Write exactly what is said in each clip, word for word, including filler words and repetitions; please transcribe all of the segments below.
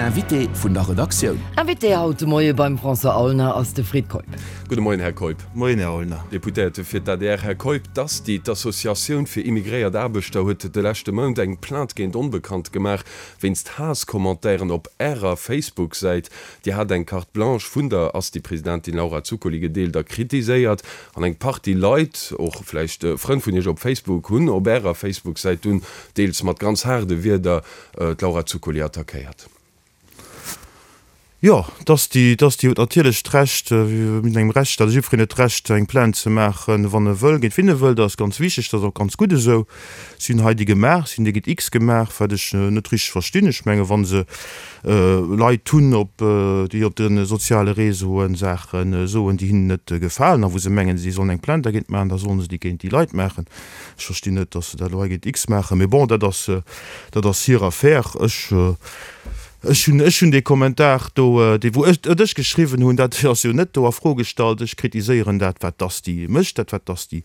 Invité vun der Redaktioun. Invité haut de Moie beim François Aulner ass de Fred Keup. Gudde Moien, Här Keup. Moien, Här Aulner. Deputéierte fir d'ADR. Här Keup, d'ASTI, d'Associatioun fir immigréiert Aarbechter, huet de leschte Mount eng Plainte géint Onbekannt gemaach wéinst Haasscommentairen op Ärer Facebook-Säit. Dir hat eng Carte blanche vun der ASTI-Presidentin Laura Zuccoli gedeelt a kritiséiert. An eng Partie Leit, och vläicht Frënn vun Iech op Facebook, hunn op Ärer Facebook-Säit dunn deels mat ganz haarde Wierder d'Laura Zuccoli attackéiert. Jo, d'ASTI, d'ASTI huet natierlech d'Recht, wéi an engem Rechtsstaat ass jiddwereen huet d'Recht eng Plainte ze maachen, wann e wëll, géint wien e wëll. Dat ass ganz wichteg, dat ass och ganz gutt esou. Si hunn hei déi gemaach, si hunn déi géint X gemaach, wat ech net richteg verstinn. Ech menge wa se Leit hunn, op déi op de soziale Réseauen Saache soen, déi hinnen net gefalen a wou se mengen, si sollen eng Plainte dergéint maachen, da sollen se déi géint déi Leit maachen. Ech verstinn net, datt se dat elo hei géint X maachen, mee bon, dat ass, dat ass hir Affaire. Ech. Ech hunn, ech hunn dee Kommentar do, dee wou ech, et ech geschriwwen hunn, dat ass jo net do a Fro gestallt. Ech kritiséieren dat, wat d'ASTI mécht, dat, wat d'ASTI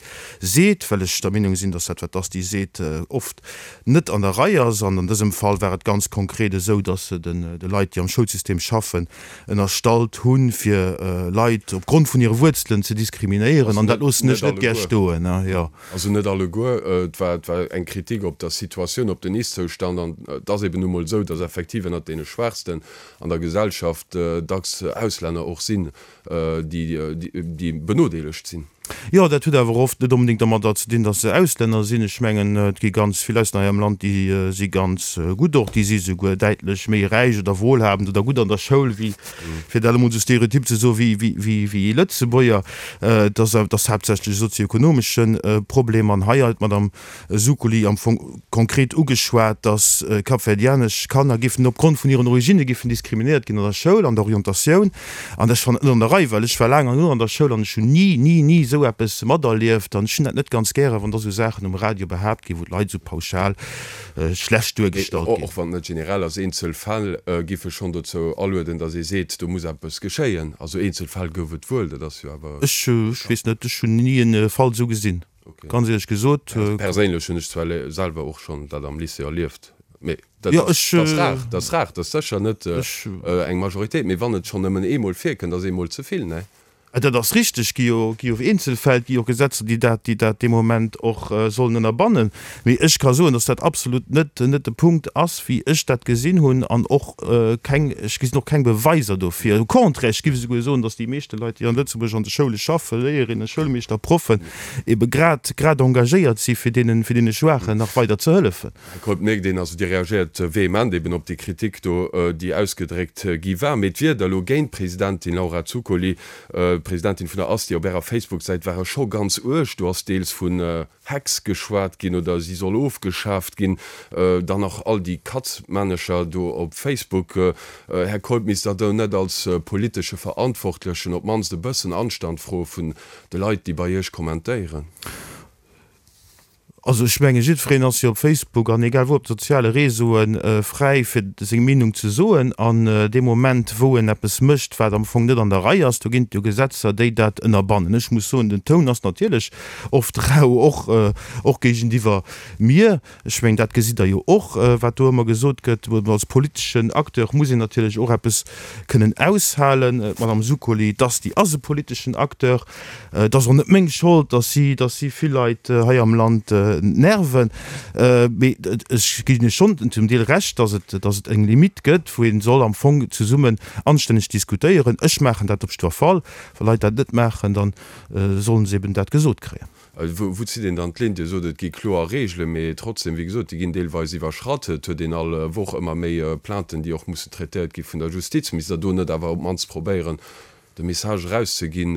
seet, well ech der Meenung sinn, datt dat, wat d'ASTI seet, oft net an der Rei ass. An an dësem Fall war et ganz konkret esou, datt se den, de Leit, déi am Schoulsystem schaffen, ënnerstallt hunn, fir Leit opgrond vun hire Wuerzelen ze diskriminéieren. An dat loossen ech net gär stoen, jo. Also net alleguer. Et war, et war eng Kritik op der Situatioun, op den Ist-Zoustand. An et ass eben nu mol esou, datt effektiv ënnert deene Schwaachsten an der Gesellschaft dacks Auslänner och sinn, déi, déi benodeelegt sinn. Jo, dat huet awer oft net onbedéngt dermadder ze dinn, datt se Auslänner sinn. Ech mengen, et gi ganz vill Auslänner hei am Land, déi si ganz gutt och, déi si souguer däitlech méi räich oder wohlhabend oder gutt an der Schoul wéi, fir dat emol esou stereotyp ze soen, wéi, wéi, wéi, wéi Lëtzebuerger. Et ass, et ass haaptsächlech e sozioekonomesche Problem. An hei huet d'Madame Zuccoli am Fong konkret ugeschwat, datt kapverdianesch Kanner géifen opgrond vun hiren Originne géifen diskriminéiert ginn an der Schoul, an der Orientatioun. An dat fannen ech net an der Rei, well ech war laang an an der Schoul an ech hunn ni, ni, ni esou eppes materlieft. An ech hunn dat net ganz gären, wann da esou Saachen um Radio behaapt ginn, wou d'Leit esou pauschal schlecht duergestallt ginn. Och wann et net generell ass, eenzel Fäll giffe schonn dozou alueden, datt ee seet, do muss eppes geschéien. Also eenzel Fäll gouf et wuel, dat ass jo awer. Ech weess net, ech hunn ni e Fall esou gesinn, ganz éierlech gesot. Perséinlech hunn ech zwar selwer och schonn dat am Lycée erlieft, mee dat ass rar, dat ass rar, dat ass sécher net eng Majoritéit. Mee wann et schonn nëmmen eemol virkënnt, ass eemol ze vill, ne? Dat ass richteg, gi jo, gi jo Eenzelfäll, gi jo Gesetzer, déi dat, déi dat dee Moment och sollen ënnerbannen. Mee ech ka soen, datt dat absolut net, net de Punkt ass, wéi ech dat gesinn hunn, an och keng, ech gesinn och keng Beweiser dofir. Au contraire, ech géif esouguer soen, datt déi meeschte Leit, déi an Lëtzebuerg an de Schoule schaffen, Léierinnen, Schoulmeeschter, Proffen, ebe grad, grad engagéiert si fir deenen, fir deene Schwaachen nach weider ze hëllefen. Här Keup, mierkt een, also Dir reagéiert vehement eben op déi Kritik do, déi ausgedréckt gi war. Mee d'Wierder elo géint d'Presidentin Laura Zuccoli, d'Presidentin vun der ASTI, op Ärer Facebook-Säit ware scho ganz uerg. Do ass deels vun Hex geschwat ginn oder si soll ofgeschaaft ginn. Dann nach all déi Katzmännecher do op Facebook. Här Keup, misst Der do net als politesche Verantwortlechen op d'mannst e bëssen Anstand froe vun de Leit, déi bei Iech kommentéieren? Also ech menge jiddwereen ass jo op Facebook an egal wou op de soziale Réseaue fräi fir seng Meenung ze soen. An dee Moment wou en eppes mécht wat am Fong net an der Rei ass, do ginn et jo Gesetzer déi dat ënnerbannen. Ech muss soen, den Toun ass natierlech oft rau, och och géigeniwwer mir. Ech mengen dat gesitt Der jo och, wat do ëmmer gesot gëtt. Als politeschen Acteur muss een natierlech och eppes kënnen aushalen. D'Madame Zuccoli, d'Asti ass e politeschen Acteur. Et ass och net meng Schold, datt si, datt si vill Leit hei am Land nerven. Mee ech ginn Iech schonn zum Deel Recht, datt et, datt et eng Limite gëtt, wou ee soll am Fong zesummen anstänneg diskutéieren. Ech maachen dat op jiddwer Fall. Wa Leit dat net maachen, da sollen se eben dat gesot kréien. Wou zitt een dann d'Linn? Dir sot, et gi kloer Reegelen, mee trotzdem, wéi gesot, déi ginn deelweis iwwerschratt. Et huet een all Woch ëmmer méi Plainten, déi och mussen traitéiert gi vun der Justiz. Misst Der do net awer op d'mannst probéieren, de Message erauszeginn,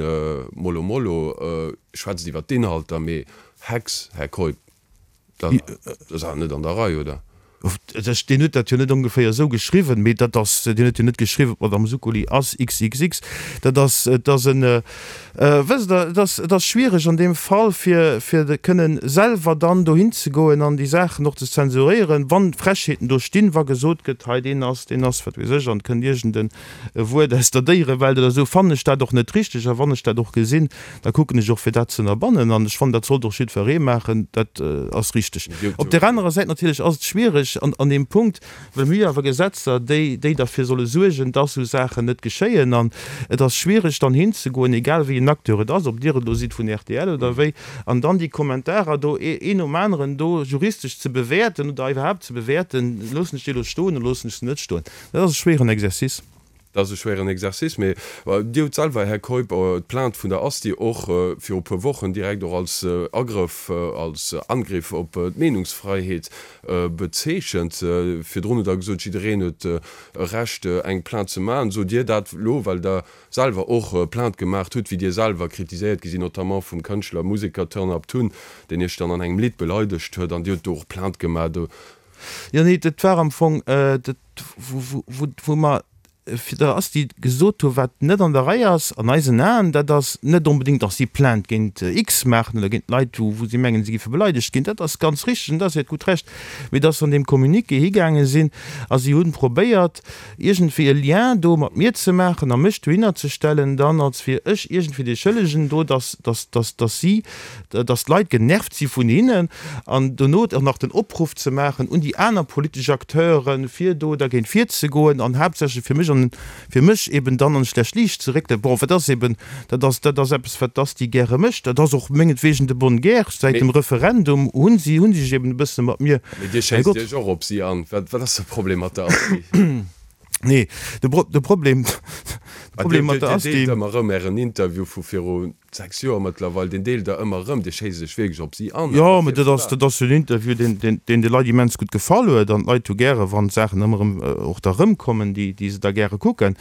Mollo mollo, schwätzt iwwer d'Inhalter, mee Hex, Här Keup, dat ass awer net an der Rei, oder? Deen huet dat jo net ongeféier esou geschriwwen, mee dat ass, deen huet jo net geschriwwen, d'Madame Zuccoli ass xxx. Dat ass, et ass en, wësst Der, et ass, et ass schwiereg an deem Fall, fir, fir kënnen selwer dann dohin ze goen an déi Saachen och ze zensuréieren, wann Frechheeten do stinn, wa gesot gëtt, hei deen ass, deen ass, wat weess ech, an et kënnt iergend en e Wuert aus der Déierewelt oder esou, fannen ech dat och net richteg. A wann ech dat och gesinn, da kucken ech och, fir dat ze ënnerbannen. An ech fannen, dat sollt och jiddweree maachen. Dat ass richteg. Op där anerer Säit natierlech ass et schwiereg, schwiereg an, an deem Punkt, well mir hu jo awer Gesetzer, déi, déi derfir solle suergen, dass esou Saachen net geschéien. An et ass schwiereg dann hinzegoen, egal wéi en Acteur et ass, ob Dir et elo sidd vun rtl oder wéi, an dann déi Kommentarer do een nom aneren do juristesch ze bewäerten oder iwwerhaapt ze bewäerten, loossen ech déi elo stoen oder loossen ech se net stoen. Dat ass e schwéieren Exercice. Dat ass e schwéieren Exercice, mee Dir hutt selwer, Här Keup, d'Plainte vun der Asti och viru e puer Wochen direkt och als Agrëff, als Angriff op d'Meenungsfreiheet bezeechent. Virdrun hutt Der gesot, jiddereen huet e Recht, eng Plainte ze maachen. Sot Dir dat elo, well Der selwer och Plainte gemaach hutt, wéi Dir selwer kritiséiert gi sinn, notamment vum Kënschtler, Museker Turn Up Tun, deen Iech dann an engem Lidd beleidegt huet, an Dir hutt do och Plainte gemaach? Jo, nee, dat war am Fong, dat, wou mer fir der Asti gesot hu wat net an der Rei ass an eisen Aen, dat ass net onbedéngt, datt si Plainte géint X maachen oder géint Leit, wou si mengen, si géife beleidegt ginn, dat ass ganz richteg an dat ass hiert gutt Recht, mee datt se an deem Communiqué higaange sinn a si hu probéiert, iergendwéi e Lien do mat mir ze maachen a mech dohinner ze stellen dann, als wier ech iergendwéi dee Schëllegen do, datt, datt, datt, datt si, datt d'Leit genervt si vun hinnen an dono och nach den Opruff ze maachen un déi aner politesch Acteuren, fir do dergéint virzegoen an haaptsächlech fir mech an fir mech eben dann an e schlecht Liicht ze réckelen. Bon, wat ass eben, dat ass, dat ass eppes, wat d'Asti gäre mécht. Dat ass och mengetwegen de bonne guerre. Säit dem Referendum hu si, hu si sech eben e bësse mat mir, Mee Dir mäi schéisst Gott. Iech och op si an. Wat, wat ass de Problem mat der Asti? Nee, de Pro, de Problem, de Dir, Problem mat Dir, der Dir deelt Asti. ëmmer erëm Ären Interview vu viru sechs Joer mëttlerweil, deen deelt Der ëmmer erëm. Dir schéisst Iech wierklech op si an. Jo, mä dat ass, dat ass jo en Interview, deen, deen, deen de Leit immens gutt gefall huet. An d'Leit hu gäre wann d'Saachen ëmmer erëm och da erëmkommen, déi, déi se da gäre kucken.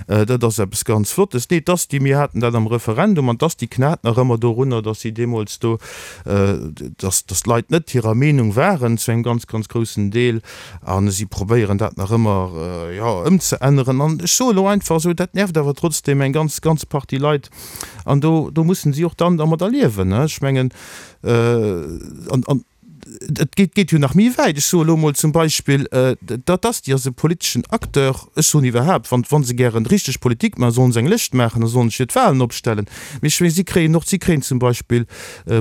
Dat ass eppes ganz Flottes. Nee, d'Asti, mir haten dat am Referendum an d'Asti knat nach ëmmer dorunner, datt si deemools do, datt, datt d'Leit net hirer Meenung waren zu engem ganz, ganz groussen Deel. A si probéieren dat nach ëmmer, jo, ëmzeänneren. An ech soe lo einfach esou, dat nervt awer trotzdeem eng ganz, ganz Partie Leit. An do, do mussen si och dann dermadder liewen. Ech mengen, an, an et geet, geet jo nach méi wäit. Ech soe lo emol zum Beispill, dat ass, déi ass e politeschen Acteur. Ech soen iwwerhaapt, wann, wa se gären richteg Politik maachen, sollen se eng Lëscht maachen a sollen sech fir d'Wahlen opstellen. Mee ech mengen, si kréien och, si kréien zum Beispill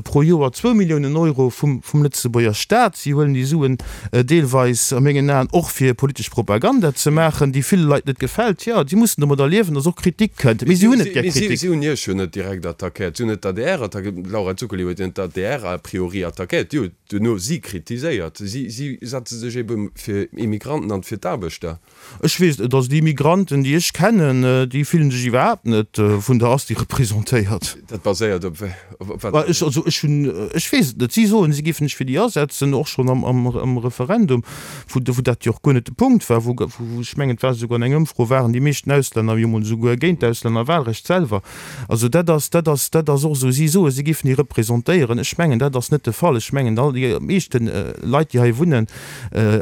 pro Joer zwou Milliounen Euro vum Lëtzebuerger Staat. Si huelen déi Suen deelweis a mengen Aen och fir politesch Propaganda ze maachen, déi ville Leit net gefält. Jo, si mussen domadder liewen, datt och Kritik kënnt. Mee si hunn net gär Mee Kritik. si hunn Iech jo net direkt attackéiert. Si hunn net d'ADR attackéiert. D'Laura Zuccoli huet jo net d'ADR a priori attackéiert. Déi huet duerno si kritiséiert. Si setze sech ebe fir Immigranten an fir d'Aarbechter. Ech weess net, also déi Immigranten, déi ech kennen, déi fillen sech iwwerhaapt net vun der Asti representéiert. Dat baséiert op op wat? Bah, ech, also ech hunn, ech weess et net. Si soen, si géifen sech fir déi asetzen, och schonn am, am, am Referendum, wou, wou dat jo och guer net de Punkt war, wou, wou ech mengen, et war esouguer an enger Ëmfro, waren déi meeschten Auslänner jo mol esouguer géint d'Auslännerwahlrecht selwer. Also dat ass, dat ass, dat ass och esou. Si soen, si géifen déi representéieren. Ech mengen, dat ass net de Fall. Ech mengen, all déi meeschten Leit, déi hei wunnen,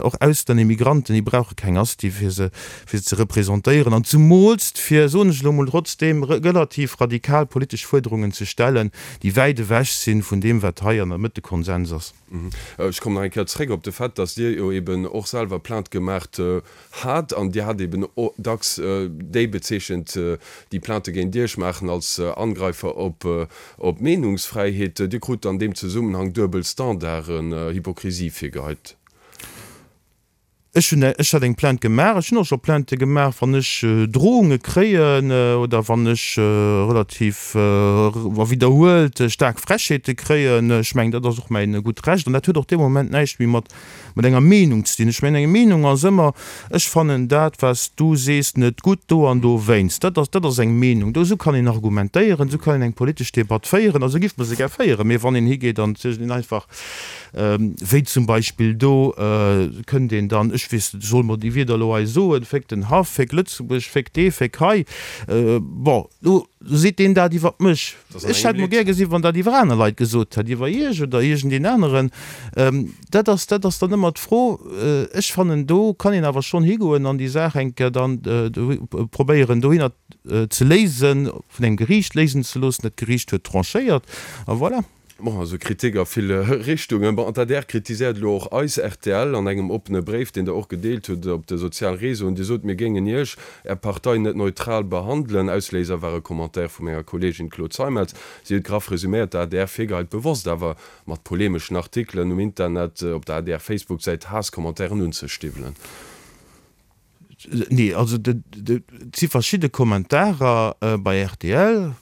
och Auslänner, Immigranten, déi brauche keng Asti, fir se, fir se ze representéieren an zumools fir, soen ech elo emol trotzdeem, relativ radikal politesch Fuerderungen ze stellen, déi wäit ewech si vun deem, wat hei an der Mëtt de Konsens ass. Ech kommen nach eng Kéier zréck op de Fait, dass Dir jo eben och selwer Plainte gemaacht hat an Dir hat eben dacks déi bezeechent, déi Plainte géint Iech maachen, als Angreifer op d'Meenungsfräiheet. Dir krut an deem Zesummenhang duebel Standarden, Hypokrisie virgeheit. Ech hunn, ech hat eng Plainte gemaach. Ech hunn och scho Plaintë gemaach, wann ech Drohunge kréien oder wann ech relativ a widderhuelt staark Frechheete kréien. Ech mengen, dat ass och mäin gutt Recht an dat huet och dee Moment näischt méi mat mat enger Meenung ze dinn. Ech mengen, eng Meenung ass ëmmer, ech fannen dat, wat s du sees, net gutt do an dowéinst. Dat ass, dat ass eng Meenung. Do, esou kann een argumentéieren, esou kann een eng politesch Debatt féieren a sou giff mer se gär féieren. Mee wann een higeet an iergendeen einfach, Wéi zum Beispill do kënnt een dann, ech weess net, solle mer déi Wierder elo hei soen, Féck den Haff, féck Lëtzebuerg, féck dee, féck hei. Bon, lo seet deen dat iwwer mech. Ech hätt mol gär gesinn, wann dat iwwer aner Leit gesot hätt, iwwer Iech oder iergendeen aneren. Dat ass, dat ass dann ëmmer d'Fro. Ech fannen, do kann een awer schonn higoen an déi Saach eng Kéier dann probéieren dohinner ze léisen, vun engem Geriicht léisen ze loossen. Dat Geriicht huet tranchéiert a voilà. Bon, also Kritik a ville Richtungen. Bon, an d'ADR kritiséiert elo och eis rtl an engem oppene Bréif, deen Der och gedeelt hutt op de soziale Réseauen. Dir sot, mir géingen Iech, Är Partei, net neutral behandelen. Ausléiser war e Commentaire vu menger Kolleegin Claude Zeimetz. Si huet graff resuméiert, d'ADR virgeheit, bewosst awer mat polemeschen Artikelen um Internet, op der ADR-Facebook-Säit Haasscommentairen unzestiwwelen. Nee, also et si verschidde Kommentarer bei rtl,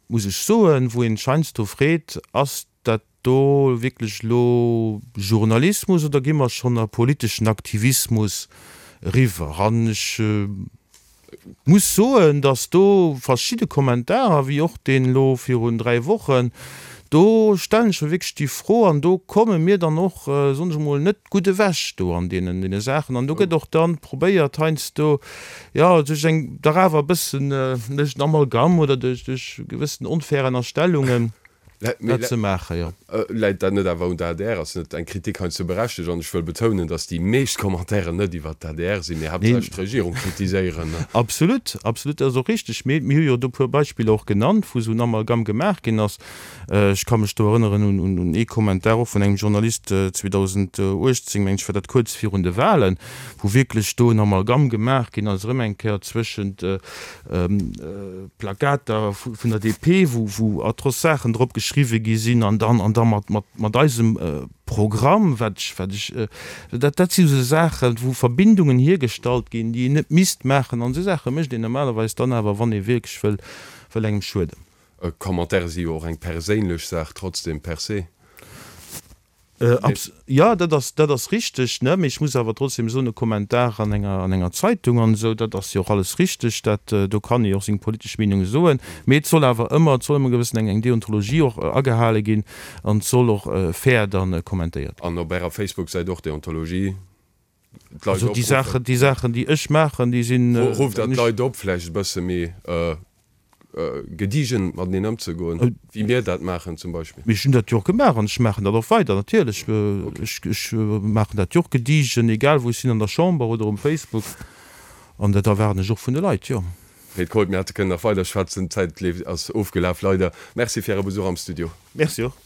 muss ech soen, wou een heiansdo freet, Ass dat do wierklech elo Journalismus oder gi mer schonn a politeschen Aktivismus eriwwer? An ech muss soen, datt do verschidde Kommentarer, wéi och deen elo virun dräi Wochen, do stellen ech mer wierklech déi Fro an do komme mir dann och, soen ech emol, net gutt ewech do an deenen deene Saachen. An do gëtt och dann probéiert heiansdo, jo, duerch eng dach awer e bëssen, duerch en Amalgam oder duerch duerch gewëssen onfair Ënnerstellungen, dat ze maachen, jo. Läit dat net awer un der adr? Ass net eng Kritik heiansdo berechtegt? An ech wëll betounen, datt déi meescht Commentairen net iwwert d'ADR sinn, mee haaptsächlech d'Regierung kritiséieren. Absolut, absolut, dat ass och richteg. Mee mir hu jo do e puer Beispiller och genannt, wou esou en Amalgam gemaach ginn ass. Ech ka mech do erënneren un ee Kommentar och vun engem Journalist zweedausenduechtzéng, mengen ech war dat, kuerz virun de Wahlen, wou wierklech do en Amalgam gemaach ginn ass erëm eng Kéier zwëschent Plakater vun der D P, wou atroce Saachen drop geschriwwe gi sinn, an dann an da mat mat eisem Programm, wat ech wat ech dat dat si sou Saachen, wou Verbindungen hiergestallt ginn, déi een net misst maachen. An esou Saache mécht een normalerweis dann awer, wann ee wierklech wëll wëll engem schueden. Commentaire si jo och eng perséinlech Saach trotzdem per se. Jo, dat ass, dat ass richteg, ne? Mee ech muss awer trotzdem soen, e Kommentar an enger, an enger Zeitung an esou, dat ass jo och alles richteg, dat, do kann ee jo och seng politesch Meenung soen. Mee et soll awer ëmmer, et soll ëmmer gewëssen eng, eng Deontologie och agehale ginn an et soll och fair dann kommentéiert ginn. An op Ärer Facebook-Säit och Deontologie? D'Leit Also déi Saachen, déi Saachen, déi ech maachen, déi sinn. Rufft Der d'Leit op, vläicht e bësse méi gediegen mateneen ëmzegoen, wéi mir dat maachen zum Beispill? Mee ech hunn dat jo och gemaach an ech maachen dat och weider, natierlech. Ech, ech maachen dat jo och gediegen, egal wou ech sinn, an der Chamber oder um Facebook. An dat erwaarden ech och vun de Leit, jo. Fred Keup, mir hätte kënnen nach weider schwätzen, d'Zäit leeft, ass ofgelaf, leider. Merci fir Äre Besuch am Studio. Merci och.